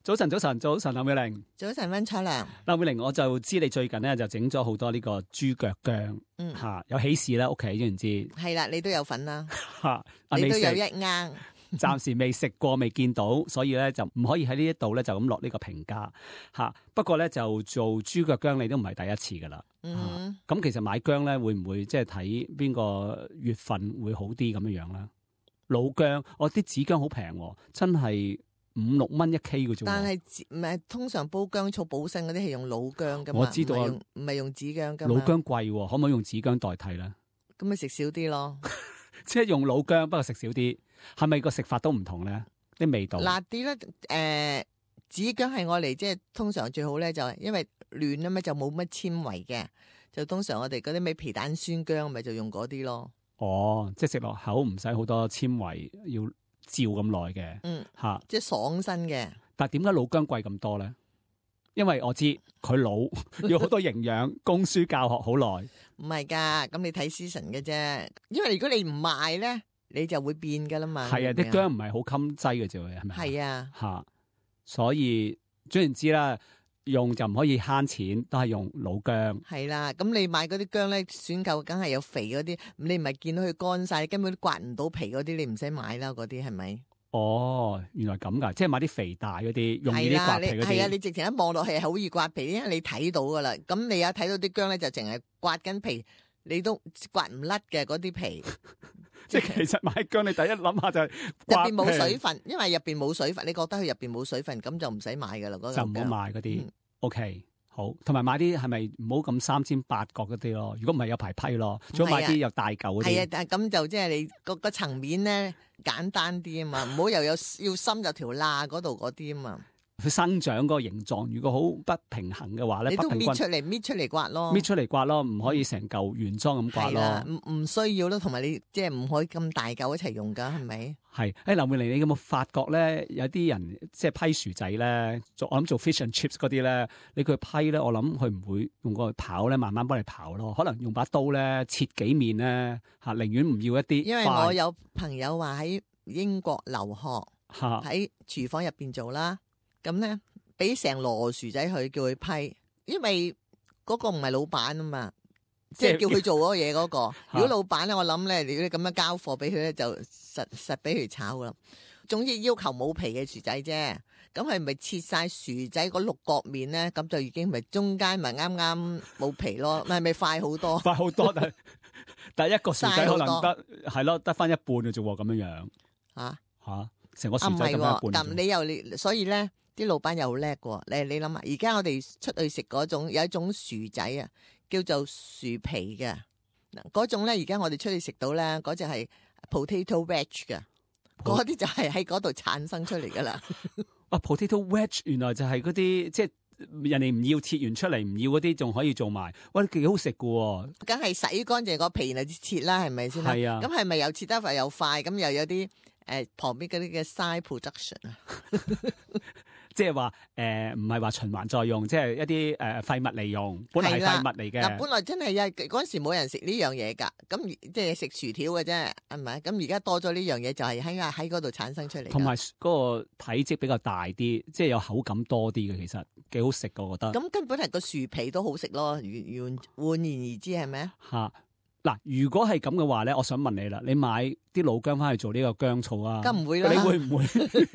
早晨，林美玲。早晨，溫楚良。林美玲，我就知你最近咧就整咗好多呢個豬腳薑，有喜事啦，屋企知唔知？係啦，你都有份啦，吓，你都有一罌。暫時未食過，未見到，所以咧就唔可以喺呢一度咧就咁落呢個評價吓。不過咧就做豬腳薑，你都唔係第一次噶啦。咁其實買薑咧會唔會即係睇邊個月份會好啲咁樣樣咧？老薑，我啲紫薑好平，真係5-6蚊1 K 嘅啫。但係唔係通常煲薑醋補腎嗰啲係用老薑噶嘛？我知道唔係用紫薑噶嘛。老薑貴，可唔可以用紫薑代替咧？咁咪食少啲咯。即係用老薑，不過食少啲，係咪個食法都唔同咧？啲味道辣啲咧。紫薑係我嚟，即係通常最好咧，就係因為嫩啊嘛，就冇乜纖維嘅，就通常我哋嗰啲咩皮蛋酸薑咪就用嗰啲咯。哦，即係食落口唔使好多纖維，要照咁耐嘅。吓，即係爽身嘅。但係點解老薑貴咁多咧？因為我知佢老，要好多營養，供書教學好耐。唔係噶，咁你睇 season 嘅啫。因為如果你唔賣咧，你就會變噶啦嘛。係啊，啲薑唔係好襟劑嘅啫，係咪？係啊，吓，所以總言之啦，用就唔可以慳錢，都係用老薑。係啦，咁你買嗰啲薑咧，選購梗係有肥嗰啲，你唔係見到佢乾晒，根本都刮唔到皮嗰啲，你唔使買啦，嗰啲係咪？哦，原來咁噶，即係買啲肥大嗰啲，容易啲刮皮嗰啲。係啊，你直情一望落去係好易刮皮，因為你睇到噶啦。咁你有睇到啲薑咧，就淨係刮緊皮，你都刮唔甩嘅嗰啲皮。即係其實買薑，你第一諗下就係入邊冇水分，因為入邊冇水分，你覺得佢入邊冇水分，咁就唔使買噶啦。嗰就唔好買嗰啲。OK。好，同埋買啲係咪唔好咁三尖八角嗰啲咯？如果唔係有排批咯，仲要買啲有大嚿嗰啲。係啊，但係咁就即係你個層面咧簡單啲啊嘛，唔好又有要深入條罅嗰度嗰啲啊嘛。佢生長嗰個形狀，如果好不平衡嘅話咧，你都搣出嚟刮咯，搣出嚟刮咯，唔可以成嚿原裝咁刮咯。唔需要咯，同埋你即係唔可以咁大嚿一齊用噶，係咪？係，林美玲，你有冇發覺咧？有啲人即係批薯仔咧，我諗做 fish and chips 嗰啲咧，你佢批咧，我諗佢唔會用個刨咧，慢慢幫你刨咯，可能用把刀咧切幾面咧，吓，寧願唔要一啲。因為我有朋友話喺英國留學，喺廚房入邊做啦。咁咧，俾成籮薯仔佢叫佢批，因為嗰個唔係老闆啊嘛，即係叫佢做嗰個嘢嗰個。如果老闆咧，我諗咧，如果你咁樣交貨俾佢咧，就實俾佢炒噶啦。總之要求冇皮嘅薯仔啫，咁佢咪切晒薯仔嗰六角面咧，咁就已經咪中間咪啱啱冇皮咯，係咪快好多？快好多，但係一個薯仔可能得係咯，得翻一半嘅啫，咁樣樣。吓，成個薯仔得翻一半。咁你所以咧。啲老闆又好叻喎，你諗下，而家我哋出去食嗰種有一種薯仔啊，叫做薯皮嘅嗱，嗰種咧而家我哋出去食到咧，嗰隻係 potato wedge 嘅，嗰啲就係喺嗰度產生出嚟噶啦。potato wedge 原來就係嗰啲即係人哋唔要切完出嚟，唔要嗰啲仲可以做埋，喂，幾好食噶。梗係洗乾淨個皮然後切啦，係咪先？係啊。咁係咪又切得快又快？咁又有啲旁邊嗰啲嘅 side production 啊？即係話唔係話循環再用，即係一啲廢物利用，本來係廢物嚟嘅。嗱，本來真係嗰陣時冇人食呢樣嘢㗎，咁即係食薯條嘅啫，係咪？咁而家多咗呢樣嘢，就係喺嗰度產生出嚟。同埋嗰個體積比較大啲，即係有口感多啲嘅，其實幾好食㗎，我覺得。咁根本係個薯皮都好食咯，換言而之係咪啊？嗱，如果係咁嘅話咧，我想問你啦，你買啲老薑翻去做呢個薑醋啊？梗唔會啦，你會唔會？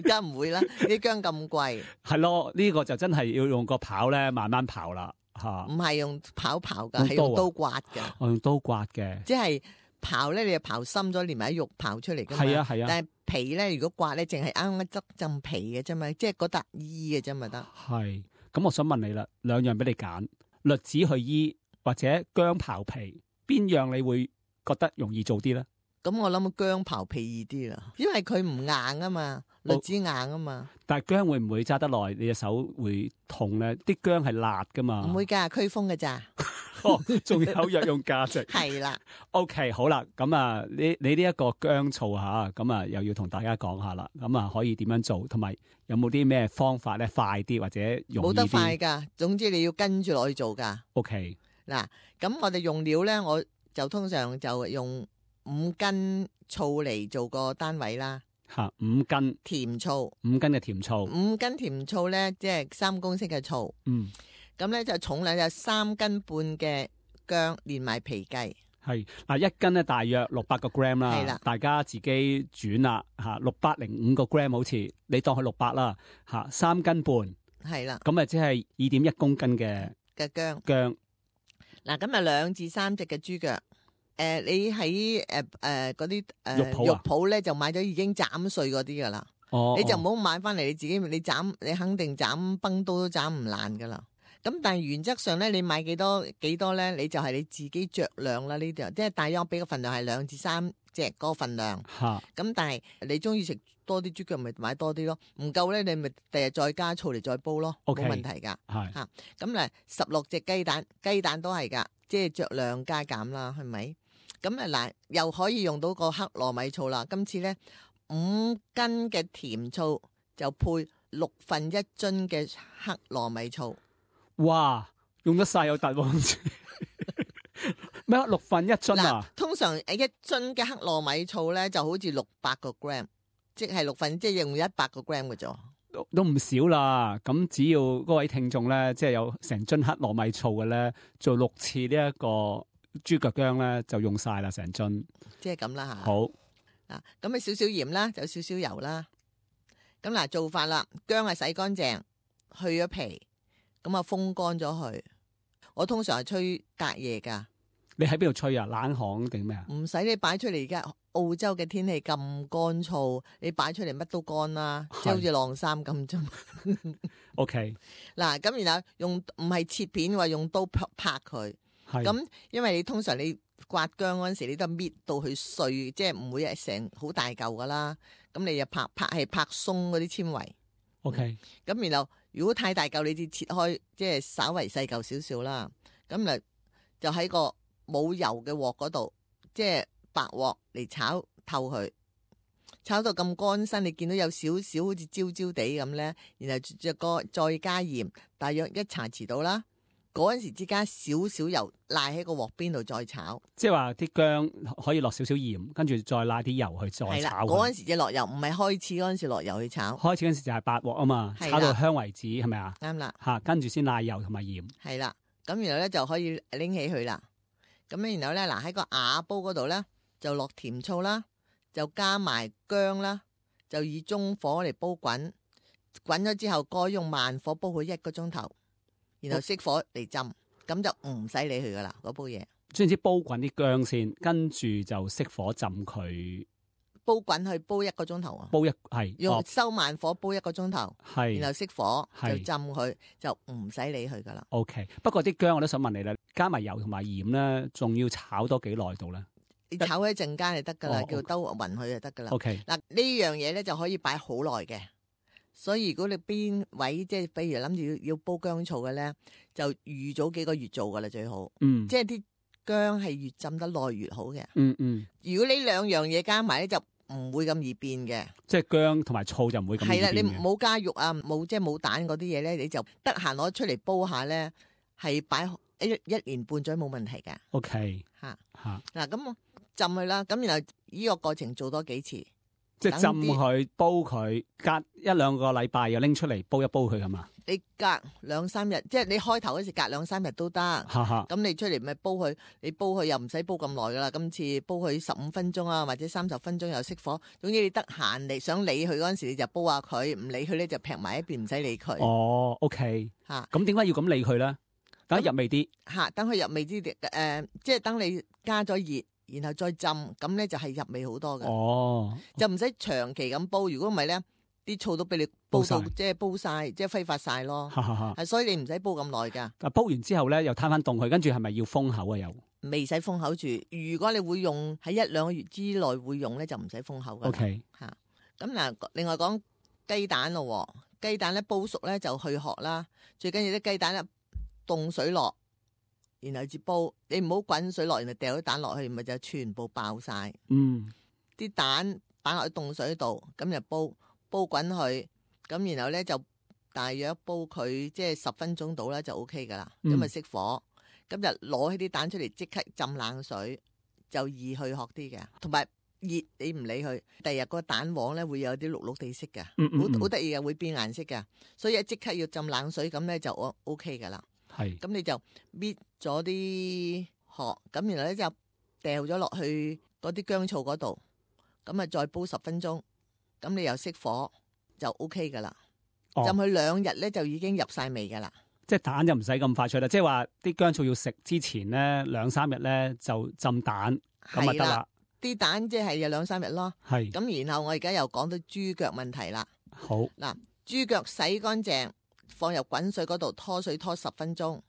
梗唔會啦，啲薑咁貴。係咯，呢個就真係要用個刨咧，慢慢刨啦，吓。唔係用刨噶，係用刀刮嘅。我用刀刮嘅。即係刨咧，你就刨深咗，連埋啲肉刨出嚟噶嘛。係啊係啊。但係皮咧，如果刮咧，淨係啱啱執浸皮嘅啫嘛，即係嗰笪衣嘅啫嘛得。係，咁我想問你啦，兩樣俾你揀，栗子去衣或者薑刨皮。邊樣你會覺得容易做啲咧？咁我諗薑刨皮易啲啦，因為佢唔硬啊嘛，栗子硬啊嘛。但係薑會唔會揸得耐？你隻手會痛咧？啲薑係辣噶嘛？唔會噶，驅風噶咋？仲有藥用價值。係啦。OK， 好啦，咁啊，你呢一個薑醋吓，咁啊又要同大家講下啦。咁啊可以點樣做？同埋有冇啲咩方法咧？快啲或者容易啲？冇得快噶，總之你要跟住落去做噶。OK。嗱，咁我哋用料咧，我就通常就用5斤醋嚟做個單位啦。嚇5斤甜醋，5斤嘅甜醋，5斤甜醋咧，即係3公升嘅醋。咁咧就重量有3斤半嘅薑，連埋皮計。係嗱，1斤咧大約600個 gram 啦。係啦，大家自己轉啦嚇，605個 gram 好似你當佢600啦嚇，3斤半。係啦，咁啊即係2.1公斤嘅薑。嗱，咁啊2至3隻嘅豬腳。你喺嗰啲肉鋪咧就買咗已經斬碎嗰啲噶啦。你就唔好買翻嚟，你自己你肯定斬崩刀都斬唔爛噶啦。咁但係原則上咧，你買幾多咧，你就係你自己酌量啦。呢啲即係大約俾個份量係2至3隻嗰個份量。咁但係你中意食多啲豬腳，咪買多啲咯。唔夠咧，你咪第日再加醋嚟再煲咯，冇問題噶。咁咧16隻雞蛋，雞蛋都係噶，即係酌量加減啦，係咪？咁啊嗱，又可以用到個黑糯米醋啦。今次咧5斤嘅甜醋就配1/6樽嘅黑糯米醋。哇，用得晒有突喎！咩1/6樽啊？通常1樽嘅黑糯米醋咧就好似600個 gram， 即係即係用100個 gram 嘅啫。都唔少啦。咁只要嗰位聽眾咧，即係有成樽黑糯米醋嘅咧，做6次呢一個豬腳薑咧，就用晒啦，成樽。即係咁啦吓。好嗱，咁啊少少鹽啦，就少少油啦。咁嗱，做法啦，薑啊洗乾淨，去咗皮。咁啊，風乾咗佢。我通常係吹隔夜噶。你喺邊度吹啊？冷巷定咩啊？唔使，你擺出嚟，而家澳洲嘅天氣咁乾燥，你擺出嚟乜都乾啦，即係好似晾衫咁啫。OK。嗱，咁然後用唔係切片，話用刀拍佢。咁因為你通常你刮薑嗰陣時，你都搣到佢碎，即係唔會係成好大嚿噶啦。咁你就拍鬆嗰啲纖維。OK。咁然後如果太大嚿，你就切開，即係稍為細嚿少少啦。咁就喺個冇油嘅鑊嗰度，即係白鑊嚟炒透佢，炒到咁乾身，你見到有少少好似焦焦地咁咧，然後再加鹽，大約1茶匙到啦。嗰陣時只加少少油，賴喺個鑊邊度再炒。即係話啲薑可以落少少鹽，跟住再賴啲油去再炒。係啦，嗰陣時就落油，唔係開始嗰陣時落油去炒。開始嗰陣時就係白鑊啊嘛，炒到香為止，係咪啊？啱啦。嚇，跟住先賴油同埋鹽。係啦，咁然後咧就可以拎起佢啦。咁咧然後咧嗱喺個瓦煲嗰度咧就落甜醋啦，就加埋薑啦，就以中火嚟煲滾。滾咗之後，該用慢火煲佢1個鐘頭。然後熄火嚟浸，咁就唔使理佢噶啦，嗰煲嘢。總之煲滾啲薑先，跟住就熄火浸佢。煲滾去煲1個鐘頭啊！用收慢火煲1個鐘頭，然後熄火就浸佢，就唔使理佢噶啦。OK， 不過啲薑我都想問你啦，加埋油同埋鹽咧，仲要炒多幾耐度咧？你炒一陣間就得噶啦，叫兜勻佢就得噶啦。OK， 嗱呢樣嘢咧就可以擺好耐嘅。所以如果你邊位即係，比如諗住要煲薑醋嘅咧，就預早幾個月做噶啦最好。即係啲薑係越浸得耐越好嘅。如果呢2樣嘢加埋咧，就唔會咁易變嘅。即係薑同埋醋就唔會咁易變嘅。係啦，你冇加肉啊，冇蛋嗰啲嘢咧，你就得閒攞出嚟煲下咧，係擺1年半載冇問題嘅。OK， 嗱咁我浸佢啦，咁然後呢個過程做多幾次。即係浸佢煲佢，隔1-2個禮拜又拎出嚟煲一煲佢，係嘛？你隔2-3日，即係你開頭嗰時隔2-3日都得。咁你出嚟咪煲佢，你煲佢又唔使煲咁耐噶啦。今次煲佢15分鐘啊，或者30分鐘又熄火。總之你得閒你想理佢嗰陣時，你就煲下佢；唔理佢咧就劈埋一邊，唔使理佢。哦，OK。咁點解要咁理佢咧？等入味啲。等佢入味啲，即係等你加咗熱。然後再浸，咁咧就係入味好多嘅。哦，就唔使長期咁煲。如果唔係咧，啲醋都俾你煲到即係煲晒，即係揮發晒咯。係，所以你唔使煲咁耐噶。煲完之後咧，又攤翻凍佢，跟住係咪要封口啊？又未使封口住。如果你會用喺1-2個月之內會用咧，就唔使封口噶。OK，咁嗱，另外講雞蛋咯，雞蛋咧煲熟咧就去殼啦。最緊要啲雞蛋咧凍水落。然後至煲，你唔好滾水落，然後掉啲蛋落去，咪就全部爆晒。啲蛋擺落去凍水度，咁就煲滾佢，咁然後咧就大約煲佢即係10分鐘到啦，就 OK 噶啦。咁咪熄火，咁就攞起啲蛋出嚟，即刻浸冷水，就易去殼啲嘅。同埋熱你唔理佢，第日個蛋黃咧會有啲綠綠地色嘅，好得意嘅，會變顏色嘅，所以即刻要浸冷水，咁咧就 OK 噶啦。係，咁你就搣咗啲殼，咁然後咧就掉咗落去嗰啲薑醋嗰度，咁啊再煲10分鐘，咁你又熄火就 OK 噶啦。浸佢2日咧就已經入晒味噶啦。即係蛋就唔使咁快脆啦，即係話啲薑醋要食之前咧2-3日咧就浸蛋咁啊得啦。啲蛋即係有2-3日咯。係。咁然後我而家又講到豬腳問題啦。好。嗱，豬腳洗乾淨，放入滾水嗰度拖水拖10分鐘，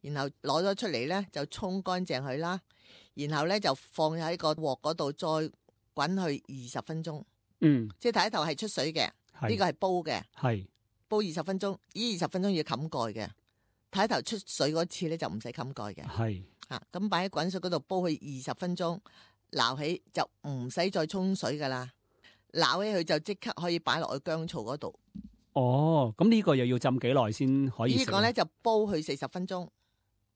然後攞咗出嚟咧就沖乾淨佢啦，然後咧就放喺個鑊嗰度再滾去20分鐘。即係第一頭係出水嘅，呢個係煲嘅。係。煲20分鐘，呢20分鐘要冚蓋嘅。睇頭出水嗰次咧就唔使冚蓋嘅。係啊，咁擺喺滾水嗰度煲佢20分鐘，撈起就唔使再沖水噶啦。撈起佢就即刻可以擺落去薑醋嗰度。哦，咁呢個又要浸幾耐先可以食？呢個咧就煲佢40分鐘。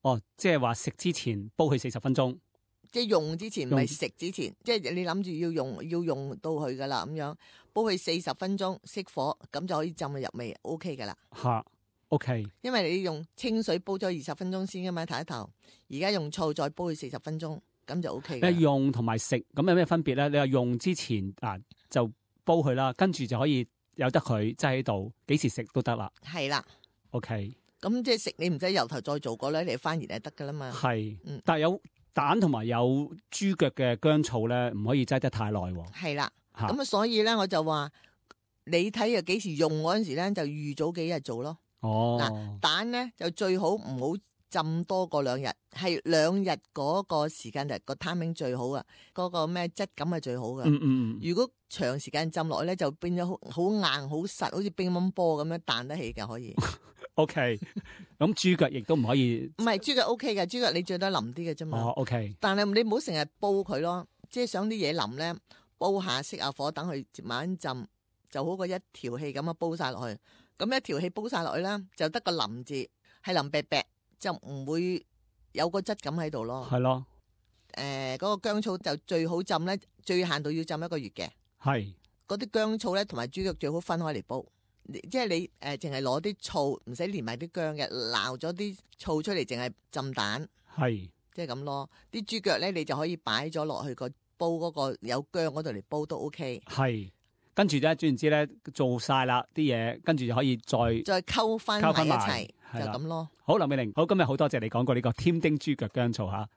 哦，即係話食之前煲佢40分鐘。即係用之前，唔係食之前，即係你諗住要用到佢噶啦，咁樣煲佢40分鐘，熄火，咁就可以浸佢入味 ，OK 噶啦。吓 ，OK。因為你用清水煲咗20分鐘先噶嘛，睇頭。而家用醋再煲佢40分鐘，咁就 OK。你用同埋食咁有咩分別咧？你話用之前就煲佢啦，跟住就可以由得佢擠喺度，幾時食都得啦。係啦 ，OK。咁即係食你唔使由頭再做過咧，你翻熱就得噶啦嘛。係，但係有蛋同埋有豬腳嘅薑醋咧，唔可以擠得太耐。係啦，咁所以咧我就話你睇下幾時用嗰陣時咧，就預早幾日做咯。哦，嗱，蛋咧就最好唔好浸多過2日，係2日嗰個時間就個 timing 最好啊，嗰個咩質感係最好噶。如果長時間浸落去咧，就變咗好硬好實，好似乒乓波咁樣彈得起嘅可以。OK， 咁豬腳亦都唔可以，唔係豬腳 OK 嘅，豬腳你最多腍啲嘅啫嘛。哦 OK， 但係你唔好成日煲佢咯，即係想啲嘢腍咧，煲下熄下火，等佢慢慢浸，就好過一條氣咁樣煲晒落去。咁一條氣煲晒落去啦，就得個腍字，係腍白白，就唔會有個質感喺度咯。係咯，嗰個薑醋就最好浸咧，最限度要浸1個月嘅。係，嗰啲薑醋咧同埋豬腳最好分開嚟煲。即係你淨係攞啲醋，唔使連埋啲薑嘅，撈咗啲醋出嚟，淨係浸蛋，係即係咁咯。啲豬腳咧，你就可以擺咗落去個煲嗰個有薑嗰度嚟煲都 OK。係，跟住咧，總言之咧，做晒啦啲嘢，跟住就可以再溝翻埋一齊，就咁咯。好，林美玲，好，今日好多謝你講過呢個添丁豬腳薑醋吓。